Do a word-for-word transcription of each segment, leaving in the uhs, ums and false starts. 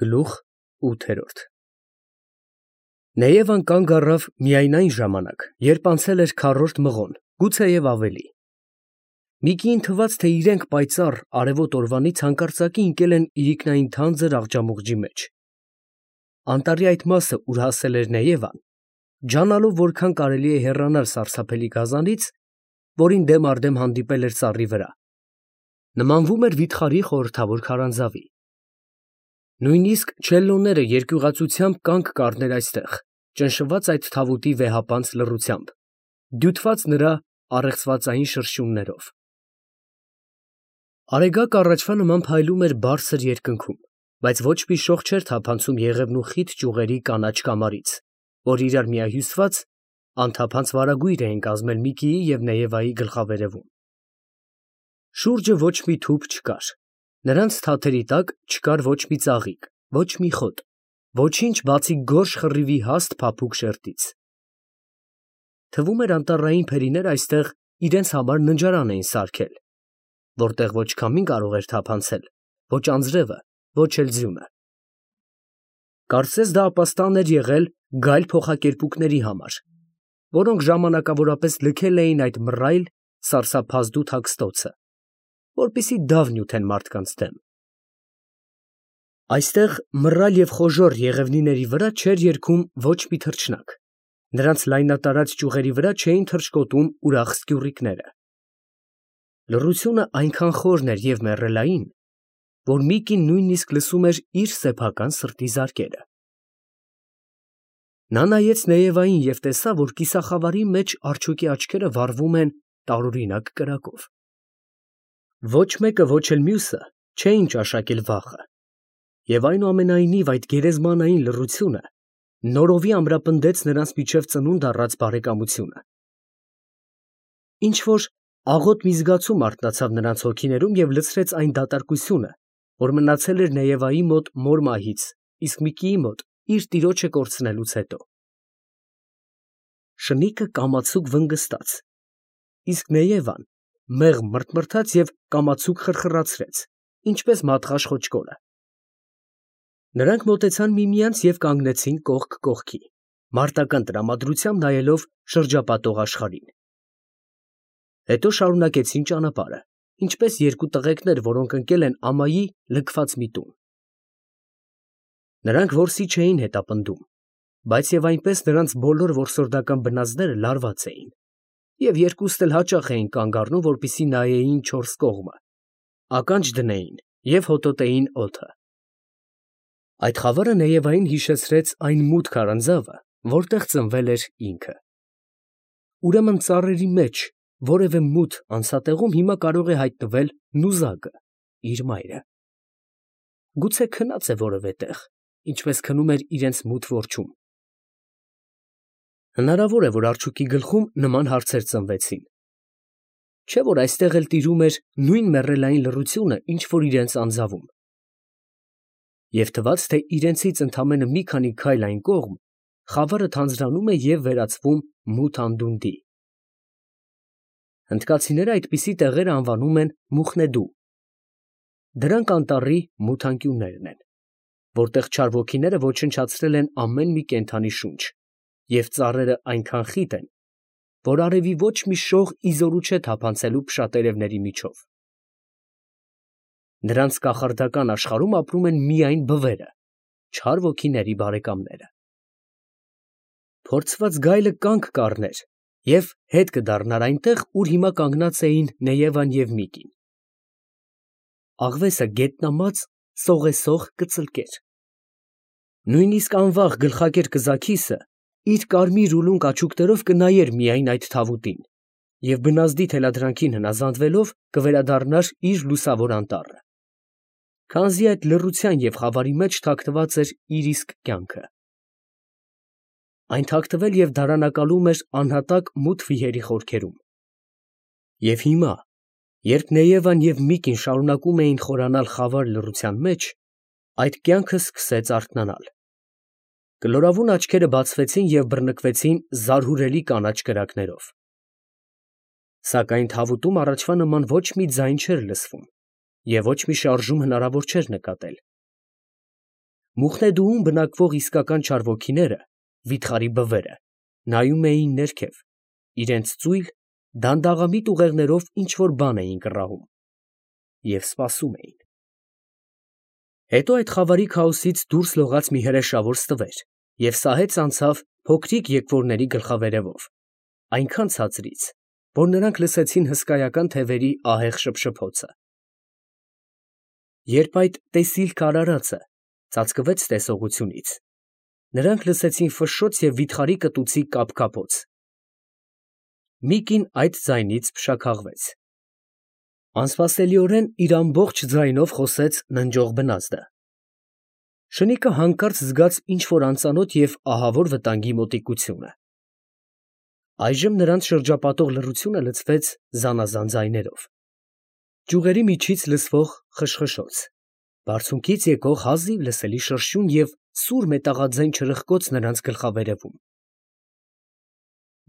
Գլուխ ութ Նեևան կանգ առավ միայն այն ժամանակ, երբ անցել էր քառորդ մղոն, գուցեև ավելի. Միկիին թվաց, թե իրենք պայծառ արևոտ օրվանից հանկարծակի ընկել են իրիկնային թանձր աղջամուղջի մեջ. անտառի այդ մասը, ուր հասել էր Նեևան, ջանալով որքան կարելի է հեռանալ սարսափելի գազանից, որին դեմ առ դեմ հանդիպել էր ծառի վրա, նմանվում էր վիթխարի խորհրդավոր քարանձավի. նույնիսկ չելլոները երկյուղածությամբ կանգ կառներ այստեղ, ճնշված այդ թավուտի վեհապանծ լռությամբ, դյութված նրա առեղծվածային շրշյուններով. Արեգակ առաջվա նման փայլում էր բարձր երկնքում, բայց ոչ մի շող չէր թափանցում եղևնու խիտ ճյուղերի կանաչ կամարից, որ իրար միահյուսված, անթափանց վարագույր էին կազմել Միկիի և Նեևայի գլխավերևում. շուրջը ոչ մի թուփ չկար, նրանց թաթերի տակ չկար ոչ մի ծաղիկ, ոչ մի խոտ, ոչինչ, բացի գորշ խռիվի հաստ փափուկ շերտից. թվում էր անտառային փերիները այստեղ իրենց համար ննջարան էին սարքել, որտեղ ոչ քամին կարող էր թափանցել, ոչ անձրևը, ոչ էլ ձյունը. կարծես դա ապաստան էր եղել գայլ փոխակերպուկների համար, որոնք ժամանակավորապես լքել էին այդ մռայլ, սարսափազդու թաքստոցը, որպեսզի դավ նյութեն մարդկանց դեմ. այստեղ մռայլ և խոժոռ եղևնիների վրա չէր երգում ոչ մի թռչնակ, նրանց լայնատարած ճյուղերի վրա չէին թռչկոտում ուրախ սկյուռիկները. լռությունը այնքան խորն էր և մեռելային, որ Միկին նույնիսկ լսում էր իր սեփական սրտի զարկերը. նա նայեց Նեևային և տեսավ, որ կիսախավարի մեջ արջուկի աչքերը վառվում են տարօրինակ կրակով. ոչ մեկը, ոչ էլ մյուսը չէին ճաշակել վաղը, և այնուամենայնիվ այդ գերեզմանային լռությունը նորովի ամրապնդեց նրանց միջև ծնունդ առած բարեկամությունը. ինչ֊որ աղոտ մի զգացում արթնացավ նրանց հոգիներում և լցրեց այն դատարկությունը, որ մնացել էր Նեևայի մոտ մոր մահից, իսկ Միկիի մոտ իր տիրոջը կորցնելուց հետո. շնիկը կամացուկ վնգստաց, իսկ Նեևան մեղմ մռթմռթաց և կամացուկ խրխրացրեց, ինչպես մատղաշ խոճկորը. նրանք մոտեցան միմյանց և կանգնեցին կողք կողքի, մարտական տրամադրությամբ նայելով շրջապատող աշխարհին. հետո շարունակեցին ճանապարհը, ինչպես երկու տղեկներ, որոնք ընկել են ամայի լքված մի տուն. նրանք որսի չէին հետապնդում, բայց և այնպես նրանց բոլոր որսորդական բնազդները լարված էին, և երկուստ էլ հաճախ էին կանգ առնում, որպեսզի նայեին չորս կողմը, ականջ դնեին և հոտոտեին օդը. այդ խավարը Նեևային հիշեցրեց այն մութ քարանձավը, որտեղ ծնվել էր ինքը. ուրեմն ծառերի մեջ որևէ մութ անցատեղում հիմա կարող է հայտնվել նուզակը, իր մայրը. գուցե քնած է որևէ տեղ, ինչպես քնում էր իրենց մութ որջում. հնարավոր է, որ արջուկի գլխում նման հարցեր ծնվեցին, չէ՞ որ այստեղ էլ տիրում էր նույն մեռելային լռությունը, ինչ որ իրենց անձավում, և թվաց, թե իրենցից ընդամենը մի քանի քայլ այն կողմ խավարը թանձրանում է և վերածվում մութ անդունդի. հնդկացիները այդպիսի տեղեր անվանում են Մուխնեդու. դրանք անտառի մութ անկյուններն են, որտեղ չար ոգիները ոչնչացրել են ամեն մի կենդանի շունչ, և ծառերը այնքան խիտ են, որ արևի ոչ մի շող ի զորու չէ թափանցելու փշատերևների միջով. նրանց կախարդական աշխարհում ապրում են միայն բվերը, չար ոգիների բարեկամները. փորձված գայլը կանգ կառներ և հետ կդառնար այնտեղ, ուր հիմա կանգնած էին Նեևան և Միկին. աղվեսը գետնամած սողեսող կծլկեր, նույնիսկ անվաղ գլխակեր կզաքիսը իր կարմիր ուլունք աչուկներով կնայեր միայն այդ թավուտին և բնազդի թելադրանքին հնազանդվելով կվերադառնար իր լուսավոր անտառը, քանզի այդ լռության և խավարի մեջ թաքնված էր իր իսկ կյանքը. այն թաքնվել և դարանակալում էր անհատակ մութ վիհերի խորքերում, և հիմա, երբ Նեևան և Միկին շարունակում էին խորանալ խավար լռության մեջ, այդ կյանքը սկսեց արթնանալ. կլորավուն աչքերը բացվեցին և բռնկվեցին զարհուրելի կանաչ կրակներով, սակայն թավուտում առաջվա նման ոչ մի ձայն չէր լսվում և ոչ մի շարժում հնարավոր չէր նկատել. Մուխնեդուում բնակվող իսկական չարվոքիները, վիթխարի բվերը, նայում էին ներքև, իրենց ծույլ, դանդաղամիտ ուղեղներով ինչ֊որ բան էին կռահում և սպասում էին։ Հետո այդ խավարի քաոսից դուրս լողաց մի հրեշավոր ստվեր և սահեց անցավ փոքրիկ եկվորների գլխավերևով, այնքան ցածրից, որ նրանք լսեցին հսկայական թևերի ահեղ շփշփոցը։ Երբ այդ տեսիլքը արարածը ծածկվեց տեսողությունից, նրանք լսեցին ֆշշոց և վիթխարի կտուցի կափկափոց։ Մի կին այդ ձայնից փշաքաղվեց։ Անսպասելիորեն իր ամբողջ ձայնով խոսեց ննջող բնազդը։ Շնիկը հանկարծ զգաց ինչ֊որ անծանոթ և ահավոր վտանգի մոտիկությունը։ Այժմ նրանց շրջապատող լռությունը լցվեց զանազան ձայներով. ճյուղերի միջից լսվող խշխշոց, բարձունքից եկող հազիվ լսելի շրշյուն և սուր մետաղաձայն չրպկոց նրանց գլխավերևում։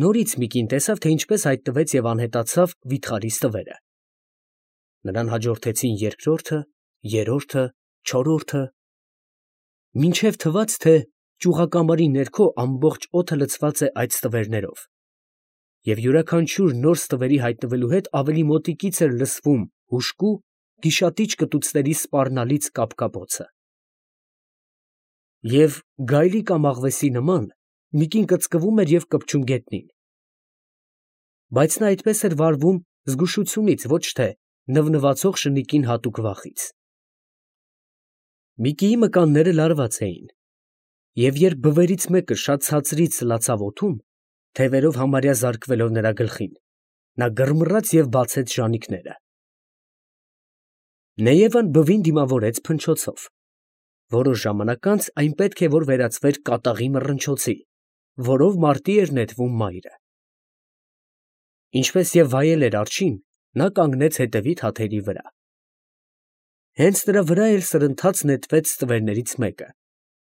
Նորից մի կին տեսավ, թե ինչպես հայտնվեց և անհետացավ վիթխարի ստվերը։ Նրան հաջորդեցին երկրորդը, երրորդը, չորրորդը, մինչև թվաց, թե ճյուղակամարի ներքո ամբողջ օդը լցված է այդ ստվերներով, և յուրաքանչյուր նոր ստվերի հայտնվելու հետ ավելի մոտիկից էր լսվում հուժկու, գիշատիչ կտուցների սպառնալից կափկափոցը։ Եվ գայլի կամ աղվեսի նման մի կին կծկվում էր և կպչում գետնին։ Բայց նա այդպես էր վարվում զգուշությունից, ոչ թե նվնվացող շնիկին հատուկ վախից։ Միկիի մկանները լարված էին, և երբ բվերից մեկը շատ ցածրից սլացավ օդում, թևերով համարյա զարկվելով նրա գլխին, նա գրմռաց և բացեց ժանիքները։ Նեևան բվին դիմավորեց փնչոցով։ Որոշ ժամանակ անց այն պետք է որ վերածվեր կատաղի մռնչոցի, որով մարտի էր նետվում մայրը։ Ինչպես և վայել էր արջին, նա կանգնեց հետևի թաթերի վրա։ Հենց նրա վրա էլ սրընթաց նետվեց ստվերներից մեկը,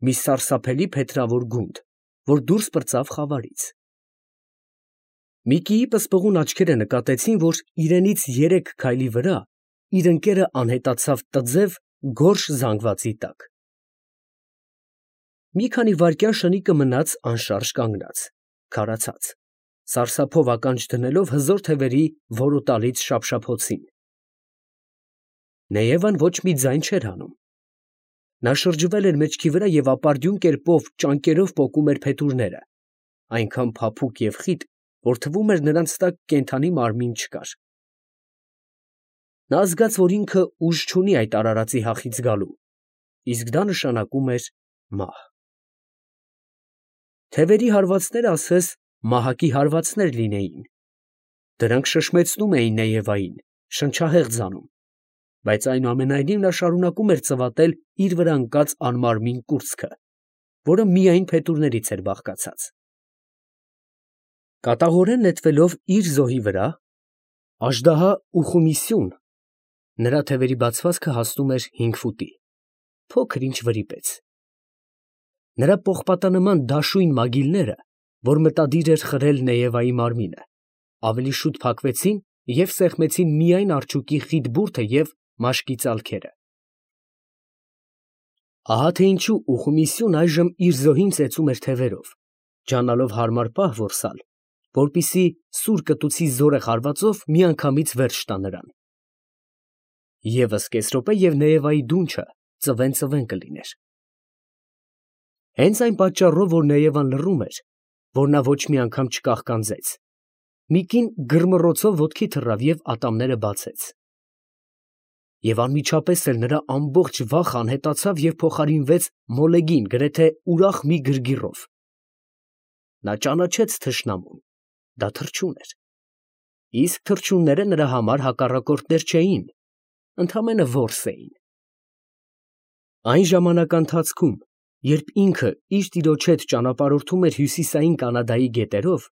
մի սարսափելի փետրավոր գունդ, որ դուրս պրծավ խավարից։ Միկիի պսպղուն աչքերը նկատեցին, որ իրենից երեք քայլի վրա իր ընկերը անհետացավ տձև, գորշ զանգվածի տակ։ Մի քանի վայրկյան շնիկը մնաց անշարժ կանգնած, քարացած, սարսափով ականջ դնելով հզոր թևերի որոտալից շափշափոցին։ Նեևան ոչ մի ձայն չէր հանում։ Նա շրջվել էր մեջքի վրա և ապարդյուն կերպով ճանկերով պոկում էր փետուրները, այնքան փափուկ և խիտ, որ թվում էր նրանց տակ կենդանի մարմին չկար։ Նա զգաց, որ ինքը ուժ չունի այդ արարածի հախից գալու, իսկ դա նշանակում էր մահ։ Թևերի հարվածները ասես մահակի հարվածներ լինեին. դրանք շշմեցնում էին Նեևային, շնչահեղձ անում, բայց այնուամենայնիվ նա շարունակում էր ծվատել իր վրա ընկած անմարմին կուրծքը, որը միայն փետուրներից էր բաղկացած։ Կատաղորեն նետվելով իր զոհի վրա, աժդահա Ուխումիսյուն, նրա թևերի բացվածքը հասնում էր հինգ ֆուտի, փոքր ինչ վրիպեց։ Նրա պողպատանման դաշույն մագիլները, որ մտադիր էր խրել Նեևայի մարմինը, ավելի շուտ փակվեցին և սեղմեցին միայն արջուկի խիտ բուրդը և մաշկի ծալքերը։ Ահա թե ինչու Ուխումիսյուն այժմ իր զոհին ծեծում էր թևերով, ջանալով հարմար պահ որսալ, որպեսզի սուր կտուցի զորեղ հարվածով միանգամից վերջ տա նրան։ Եվս կես րոպե և Նեևայի դունչը ծվեն֊ծվեն կլիներ։ Հենց այն պատճառով, որ Նեևան լռում էր, որ նա ոչ մի անգամ չկաղկանձեց, մի կին գրմռոցով ոտքի թռավ և ատամները բացեց։ Եվ անմիջապես էլ նրա ամբողջ վախը անհետացավ և փոխարինվեց մոլեգին, գրեթե ուրախ մի գրգիռով։ Նա ճանաչեց թշնամուն, դա թռչուն էր, իսկ թռչունները նրա համար հակառակորդներ չէին, ընդամենը որս էին։ Այն ժամանականթացքում, երբ ինքը իր տիրոջ հետ ճանապարհորդում էր հյուսիսային Կանադայի գետերով,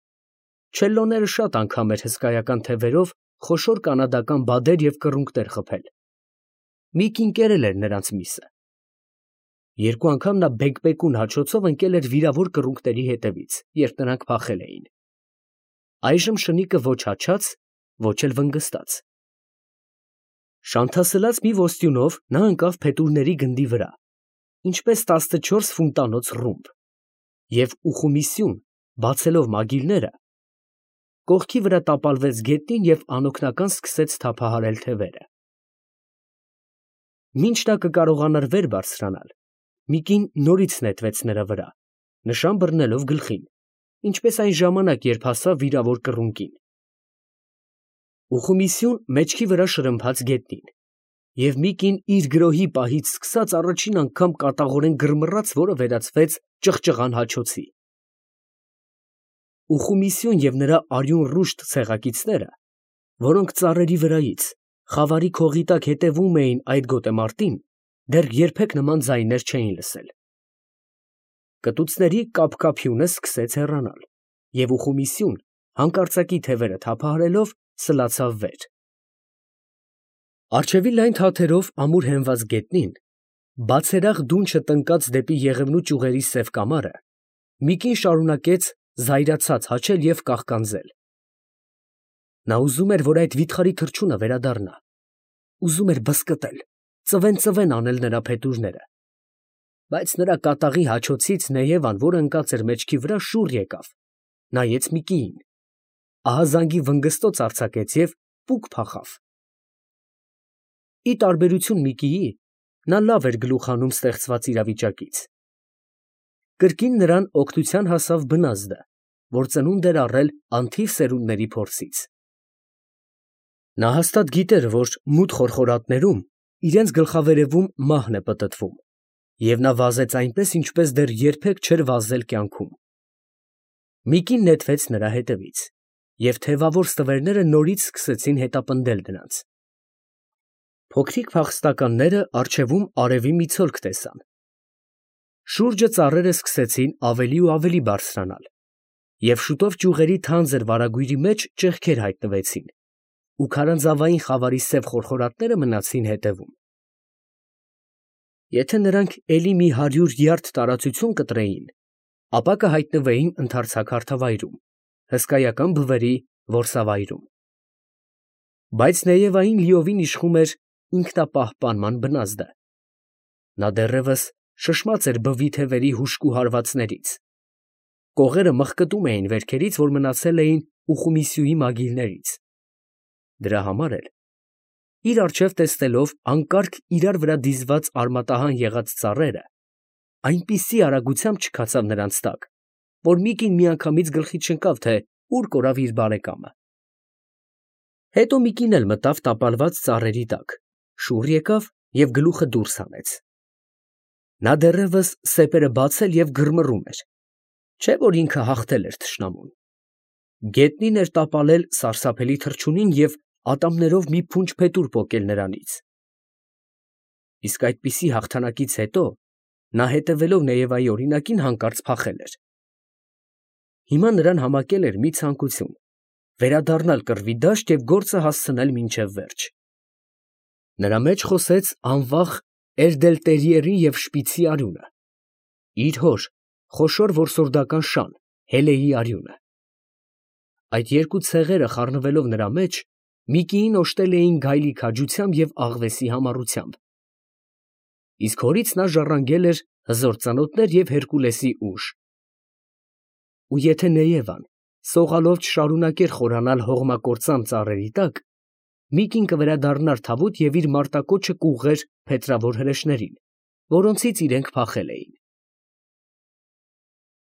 չելլոները շատ անգամ էր հսկայական թևերով խոշոր կանադական բադեր և կռունկներ խփել։ Մի կին կերել էր նրանց միսը։ Երկու անգամ նա բեկբեկուն հաչոցով ընկել էր վիրավոր կռունկների հետևից, երբ նրանք փախել էին։ Այժմ շնիկը ոչ հաչաց, ոչ էլ վնգստաց։ Շանթասլաց մի ոստյունով նա ընկավ փետուրների գնդի վրա, ինչպես տասնչորս ֆունտանոց ռումբ, և ուխումիսյուն, բացելով մագիլները, կողքի վրա տապալվեց գետնին և անօգնական սկսեց թափահարել թևերը։ Մինչ նա կկարողանար վեր բարձրանալ, մի կին նորից նետվեց նրա վրա, նշան բռնելով գլխին, ինչպես այն ժամանակ, երբ հասավ վիրավոր կռունկին։ Ուխումիսյուն մեջքի վրա շրմփաց գետնին, և մի կին իր գրոհի պահից սկսած առաջին անգամ կատաղորեն գրմռաց, որը վերածվեց ճղճղան հաչոցի։ Ուխումիսյուն և նրա արյուն ռուշտ ցեղակիցները, որոնք ծառերի վրայից, խավարի քողի տակ հետևում էին այդ գոտեմարտին, դեռ երբեք նման ձայներ չէին լսել։ Կտուցների կափկափյունը սկսեց հեռանալ, և ուխումիսյուն, հանկարծակի թևերը թափահարելով, սլացավ վեր։ Առջևի լայն թաթերով ամուր հենված գետնին, բացերախ դունչը տնկած դեպի Եղևնու ճյուղերի սև կամարը, մի կին շարունակեց զայրացած հաչել և կաղկանձել։ Նա ուզում էր, որ այդ վիթխարի թռչունը վերադառնա, ուզում էր բզկտել, ծվեն֊ծվեն անել նրա փետուրները, բայց նրա կատաղի հաչոցից Նեևան, որ ընկած էր մեջքի վրա, շուռ եկավ, նայեց Միկիին, ահազանգի վնգստոց արձակեց և պուկ փախավ։ Ի տարբերություն Միկիի, նա լավ էր գլուխ հանում ստեղծված իրավիճակից։ Կրկին նրան օգնության հասավ բնազդը, որ ծնունդ էր առել անթիվ սերունդների փորձից։ Նա հաստատ գիտեր, որ մութ խորխորատներում իրենց գլխավերևում մահն է պտտվում, և նա վազեց այնպես, ինչպես դեռ երբեք չէր վազել կյանքում։ Միկին նետվեց նրա հետևից, և թևավոր ստվերները նորից սկսեցին հետապնդել նրանց։ Փոքրիկ փախստականները առջևում արևի մի ցոլք տեսան։ Շուրջը ծառերը սկսեցին ավելի ու ավելի բարձրանալ, և շուտով ճյուղերի թանձր վարագույրի մեջ ճեղքեր հայտնվեցին, ու քարանձավային խավարի սև խորխորատները մնացին հետևում։ Եթե նրանք էլի մի հարյուր յարդ տարածություն կտրեին, ապա կհայտնվեին ընդարձակ հարթավայրում, հսկայական բվերի որսավայրում։ Բայց Նեևային լիովին իշխում էր ինքնապահպանման բնազդը։ Նա դեռևս շշմած էր բվի թևերի հուժկու հարվածներից։ Կողերը մխկտում էին վերքերից, որ մնացել էին Ուխումիսյուի մագիլներից։ Դրա համար էլ, իր առջև տեսնելով հանկարծ իրար վրա դիզված արմատահան եղած ծառերը, այնպիսի արագությամբ չքացավ նրանց տակ, որ մի կին միանգամից գլխի չընկավ, թե ուր կորավ իր բարեկամը։ Հետո մի կին էլ մտավ տապալված ծառերի տակ, շուռ եկավ և գլուխը դուրս հանեց։ Նա դեռևս սեպերը բացել և գրմռում էր, չէ՞ որ ինքը հաղթել էր թշնամուն։ Գետնին էր տապալել սարսափելի թռչունին և ատամներով մի փունջ փետուր պոկել նրանից։ Իսկ այդպիսի հաղթանակից հետո նա, հետևելով Նեևայի օրինակին, հանկարծ փախել էր։ Հիմա նրան համակել էր մի ցանկություն՝ վերադառնալ կռվի դաշտ և գործը հասցնել մինչև վերջ։ Նրա մեջ խոսեց անվախ Էրդելտերիերի և Շպիցի արյունը, իր հոր, խոշոր որսորդական շան Հելեի արյունը։ Այդ երկու ցեղերը խառնվելով նրա մեջ, մի կիին օժտել էին գայլի քաջությամբ և աղվեսի համառությամբ։ Իսկ հորից նա ժառանգել էր հզոր ծանոթներ և Հերկուլեսի ուժ։ Ու եթե Նեևան սողալով չշարունակեր խորանալ հողմակործան ծառերի տակ, մի կին կվերադառնար թավուտ և իր մարտակոչը կուղղեր փետրավոր հրեշներին, որոնցից իրենք փախել էին։